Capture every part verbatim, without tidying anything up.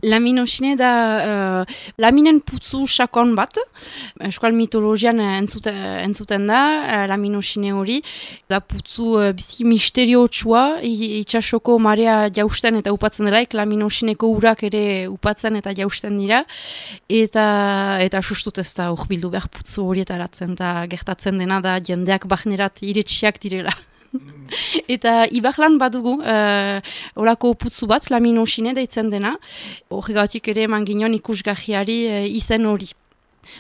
Laminosine da uh, laminen putzu sakon bat, euskal mitologian entzute, entzuten da, uh, laminosine hori, da putzu uh, biziki misteriotsua, itxasoko marea jausten eta upatzen delaik, laminosineko urak ere upatzen eta jausten dira, eta eta sustut ez da urbildu behar putzu horietaratzen, eta gertatzen dena da jendeak bahnerat iretsiak direla. Eta Ibajlan badugu, uh, olako putzu bat, laminosine deitzen dena, horregatik ere eman ginen ikusgahiari uh, izen hori.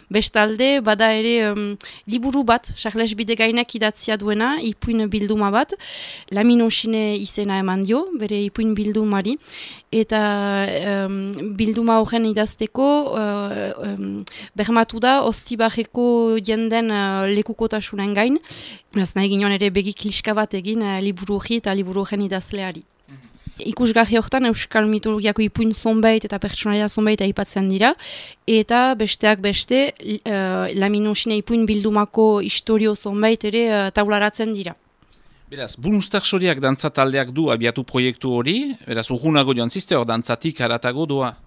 Bestalde, bada ere um, liburu bat, Charles Bidegainek idatzia duena, ipuin bilduma bat, laminosine izena eman dio, bere ipuin bildumari, eta um, bilduma horren idazteko uh, um, bermatu da Oztibarreko jenden uh, lekukotasunen gain, ez nahi ginen ere begi kliska bat egin uh, liburu hori eta liburu horren idazleari. Ikusgarri horretan euskal mitologiako ipuin zonbait eta pertsonaia zonbait aipatzen dira, eta besteak beste uh, laminosine ipuin bildumako istorio zonbait ere uh, taularatzen dira. Beraz, Bunstersoriak dantza taldeak du abiatu proiektu hori, beraz, urgunago joan ziste hor dantzatik haratago doa.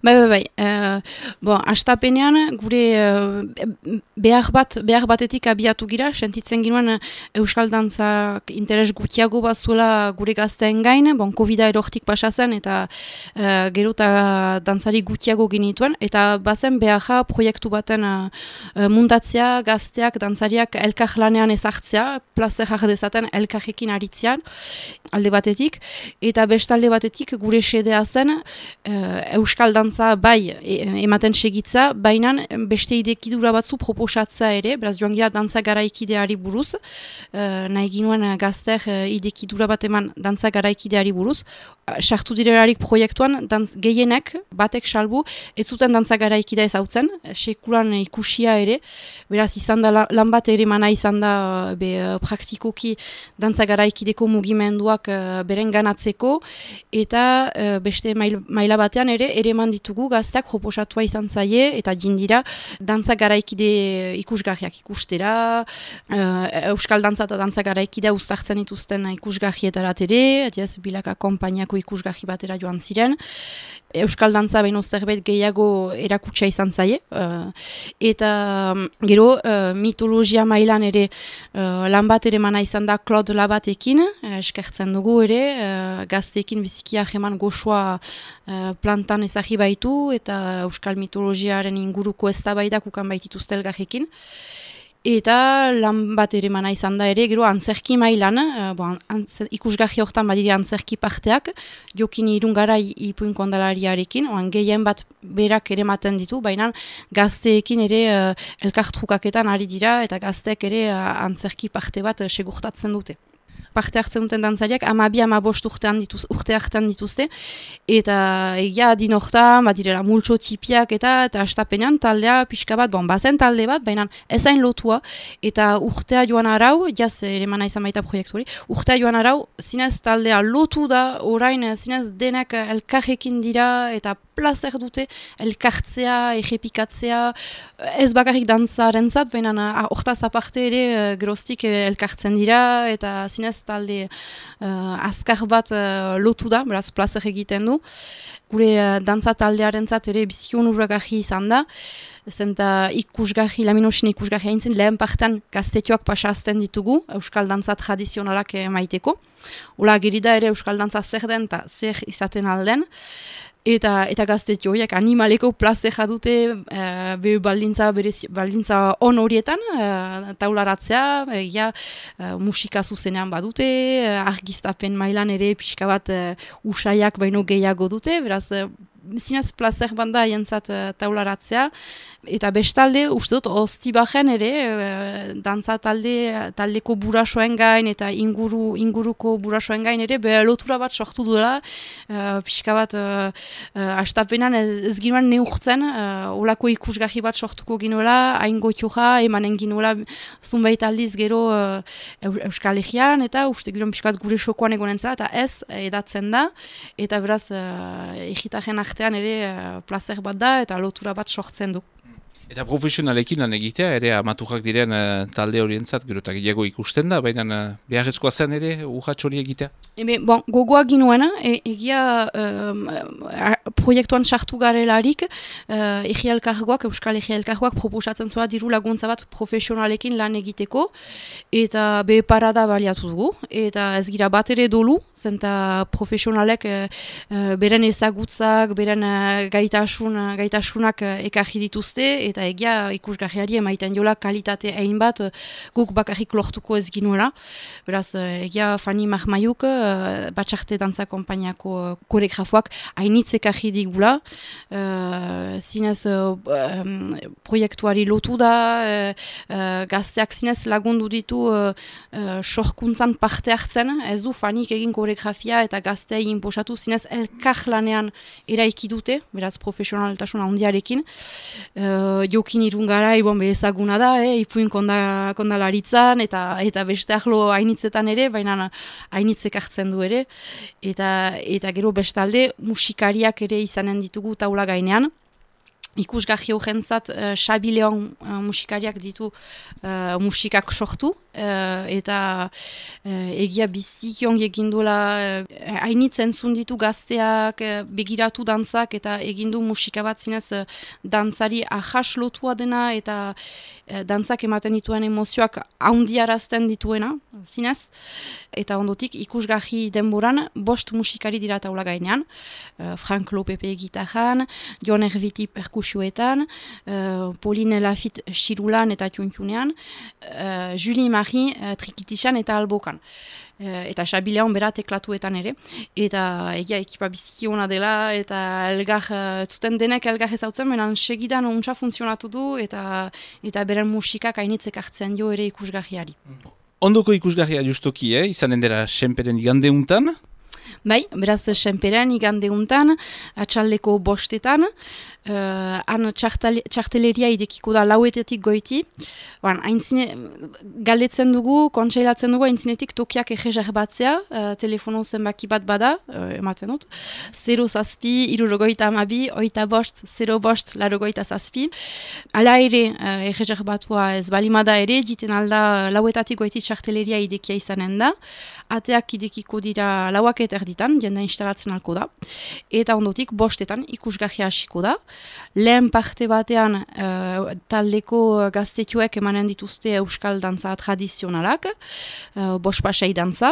Bai, bai, bai. Uh, bon, astapenean gure uh, behar, bat, behar batetik abiatu gira, sentitzen ginoen euskal dantzak interes gutiago bat zuela gure gazteen gain, bon, Covida erortik pasa zen, eta uh, gero eta dantzari gutiago genituen, eta bazen beharra proiektu baten uh, muntatzea, gazteak, dantzariak elkar lanean ezartzea, plazer dezaten elkarrekin aritzean, alde batetik, eta bestalde batetik gure sedea zen uh, euskal dantza bai ematen segitza, baina beste idekidura batzu proposatza ere, beraz joan gira dantza garaikideari buruz, uh, nahi ginuen gazter uh, idekidura bat eman dantza garaikideari buruz, sartu direlarik proiektuan dantz, gehienek, batek salbu, ez zuten dantza garaikidea ezautzen, sekulan ikusia ere, beraz izan da lan bat ere mana izan da be, praktikoki dantza garaikideko mugimenduak uh, beren ganatzeko, eta uh, beste mail, maila batean ere, ere eman ditugu gazteak proposatua izan zaie eta jindira dantza garaikide ikusgarriak ikustera, uh, euskal dantza eta dantza garaikidea uztartzen dituzten ikusgarrietarat ere, adiaz, bilaka konpainiako ikusgarri batera joan ziren, euskal dantza baino zerbait gehiago erakutsa izan zaie, uh, eta um, gero uh, mitologia mailan ere uh, lan bat ere mana izan da Claude Labatekin, uh, eskertzen dugu ere, uh, gazteekin bizikia jeman goxoa uh, plantan ezagi baitu, eta euskal mitologiaren inguruko eztabaidak ukan baitituzte elgarrekin. Eta lan bat ere mana izan da ere, gero antzerki mailan, uh, bon, antzer, ikusgarri horretan badire antzerki parteak, jokin irungara ipuin kondalariarekin, oan gehien bat berak ere maten ditu, baina gazteekin ere uh, elkartrukaketan ari dira, eta gazteek ere uh, antzerki parte bat uh, segurtatzen dute. Parte hartzen duten dantzariak, amabi amabost urtean dituz, urte hartan dituzte, eta egia din horretan, bat direla multxo tipiak eta eta astapenean taldea pixka bat, bon, bazen talde bat, baina ezain lotua, eta urtea joan arau, jaz ere mana izan baita proiektu hori, urtea joan arau, zinez taldea lotu da, orain zinez denak elkarrekin dira, eta plazer dute elkartzea, errepikatzea, ez bakarrik dantzarentzat, baina hortaz aparte ere geroztik elkartzen dira, eta zinez talde uh, azkar bat uh, lotu da, beraz plazer egiten du. Gure uh, dantza taldearentzat ere bizion urragarri izan da, zenta ikusgarri, laminosine ikusgarri haintzen, lehen partean gaztetioak pasazten ditugu, euskal dantza tradizionalak maiteko. Ola gerida ere euskal dantza zer den eta zer izaten alden. Eta, eta gaztetio horiek animaleko plazera dute uh, be baldintza, berezi, baldintza on horietan, uh, taularatzea, egia uh, musika zuzenean badute, uh, argiztapen mailan ere pixka bat uh, usaiak baino gehiago dute, beraz uh, zinez plazer banda jentzat uh, taularatzea, eta bestalde, uste dut, Oztibarren ere, uh, dantza talde, taldeko burasoen gain, eta inguru, inguruko burasoen gain ere, be lotura bat sortu duela, uh, pixka bat, uh, uh, astapenan ez, ez ginoen neurtzen, uh, olako ikusgarri bat sortuko ginoela, hain goitioa, emanen ginoela, zunbait aldiz gero uh, Euskal Herrian, eta uste ginoen pixka bat gure sokoan egonen zela, eta ez, edatzen da, eta beraz, uh, egitaren artean ere uh, plazer bat da, eta lotura bat sortzen du. Eta profesionalekin lan egitea, ere amaturrak diren uh, talde horientzat, gero eta gehiago ikusten da, baina uh, beharrezkoa zen ere urrats hori egitea? Ebe, bon, gogoa ginoena, e, egia um, proiektuan sartu garelarik, uh, Egi Elkargoak, Euskal Egi Elkargoak proposatzen zua diru laguntza bat profesionalekin lan egiteko, eta be parada baliatu dugu, eta ez gira bat ere dolu, zenta profesionalek uh, uh, beren ezagutzak, beren uh, gaitasun, uh, gaitasunak uh, ekarri dituzte, eta egia ikusgarriari emaiten jola kalitate egin bat guk bakarrik lortuko ez ginuela. Beraz, egia Fani Mahmaiuk, Batxarte Dantza Konpainiako koreografoak hainitz ekarri digula. Uh, zinez uh, um, proiektuari lotu da, uh, uh, gazteak zinez lagundu ditu uh, uh, sorkuntzan parte hartzen, ez du Fanik egin koreografia eta gaztea egin posatu zinez elkar lanean eraiki dute, beraz profesionaltasun handiarekin. Uh, jokin irungara, ibon bezaguna da, eh, ipuin konda, kondalaritzan, eta eta beste ahlo hainitzetan ere, baina hainitzek hartzen du ere, eta, eta gero bestalde musikariak ere izanen ditugu taula gainean. Ikusgarri horrentzat uh, Xabi Leon uh, musikariak ditu uh, musikak sortu, uh, eta uh, egia biziki ongi eginduela uh, hainitzen ditu gazteak, uh, begiratu dantzak, eta egindu musika bat zinez uh, dantzari ahas lotua dena, eta uh, dantzak ematen dituen emozioak haundiarazten dituena, zinez, eta ondotik ikusgarri denboran bost musikari dira taula gainean, uh, Frank Lopepe gitarran, Jon Erviti perkusioetan, uh, Pauline Lafitte xirulan eta txuntxunean, uh, Julie Marie uh, trikitisan eta albokan. Uh, eta Xabi Leon bera teklatuetan ere, eta egia ekipa biziki ona dela, eta elgar, uh, zuten denek elgar ezautzen, menan segidan ontsa funtzionatu du, eta, eta beren musikak hainitzek hartzen jo ere ikusgarriari. Ondoko ikusgarria justoki, eh? Izanen dela Senperen igande untan? Bai, beraz Senperen igande untan, atxaldeko bostetan, uh, han txarteleria idekiko da lauetetik goiti. Ban, aintzine, galdetzen dugu, kontseilatzen dugu, aintzinetik tokiak egezer batzea, uh, telefono zenbaki bat bada, uh, ematen dut, zero zazpi, irurogoita amabi, oita bost, zero bost, larogoita zazpi. Hala ere, uh, egezer batua ez balimada ere, diten alda lauetatik goiti txarteleria idekia izanen da, ateak idekiko dira lauak eta erditan, jende instalatzen alko da, eta ondotik bostetan ikusgarria hasiko da. Lehen parte batean uh, taldeko gaztetxoek emanen dituzte euskal dantza tradizionalak, uh, bospasei dantza,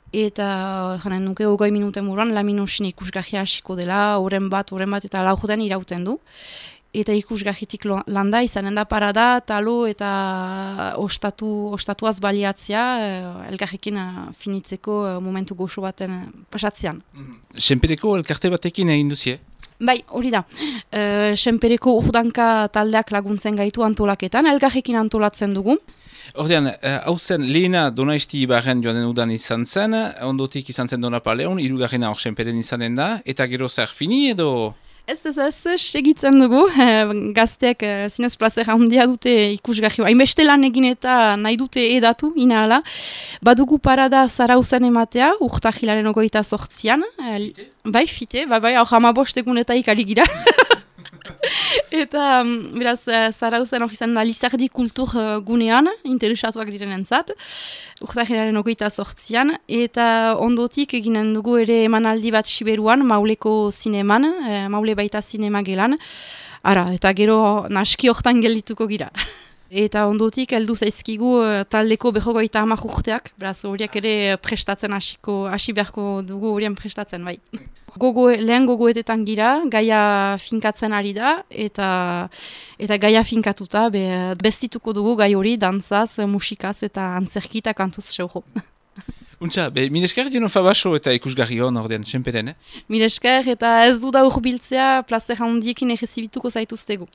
eta janen nuke ogoi minuten buruan laminosin ikusgarria hasiko dela, oren bat, oren bat eta laujoten irauten du. Eta ikusgarritik landa izanen da parada, talo eta ostatu, ostatuaz baliatzea, eh, elgarrekin uh, finitzeko uh, momentu goxo baten pasatzean. Senpereko elkarte batekin egin duzie? Bai, hori da. Uh, Senpereko urdanka taldeak laguntzen gaitu antolaketan, elgarrekin antolatzen dugu. Ordean, hau zen lehena Donaisti Ibarren joan den udan izan zen, ondotik izan zen Donapaleon, hirugarrena hor Senperen izanen da, eta gero zer fini edo... Ez, ez, ez, segitzen dugu, gazteak zinez plazera handia dute ikusgarri. Hainbeste lan egin eta nahi dute edatu, inahala. Badugu parada Zarauzan ematea, urtahilaren ogoita sortzian. Fite? Bai, fite, bai, bai, hor hamabost egunetaik ari gira. Eta, beraz, Zarauzan hori izan da Lizardi kultur gunean, interesatuak direnentzat, urtahilaren ogoita sortzian, eta ondotik eginen dugu ere emanaldi bat Siberuan, Mauleko zineman, Maule baita zinema gelan, ara, eta gero naski hortan geldituko gira. Eta ondotik heldu zaizkigu taldeko berrogeita hamar urteak, beraz horiek ere prestatzen hasiko, hasi beharko dugu horien prestatzen, bai. Gogo, lehen gogoetetan gira, gaia finkatzen ari da, eta, eta gaia finkatuta be, bestituko dugu gai hori dantzaz, musikaz eta antzerki eta kantuz seuro. Untxa, be, minesker dino fabaso eta ikusgarri hon ordean, Senperen, eh? Minesker eta ez du da urbiltzea, plazer handiekin errezibituko zaituztegu.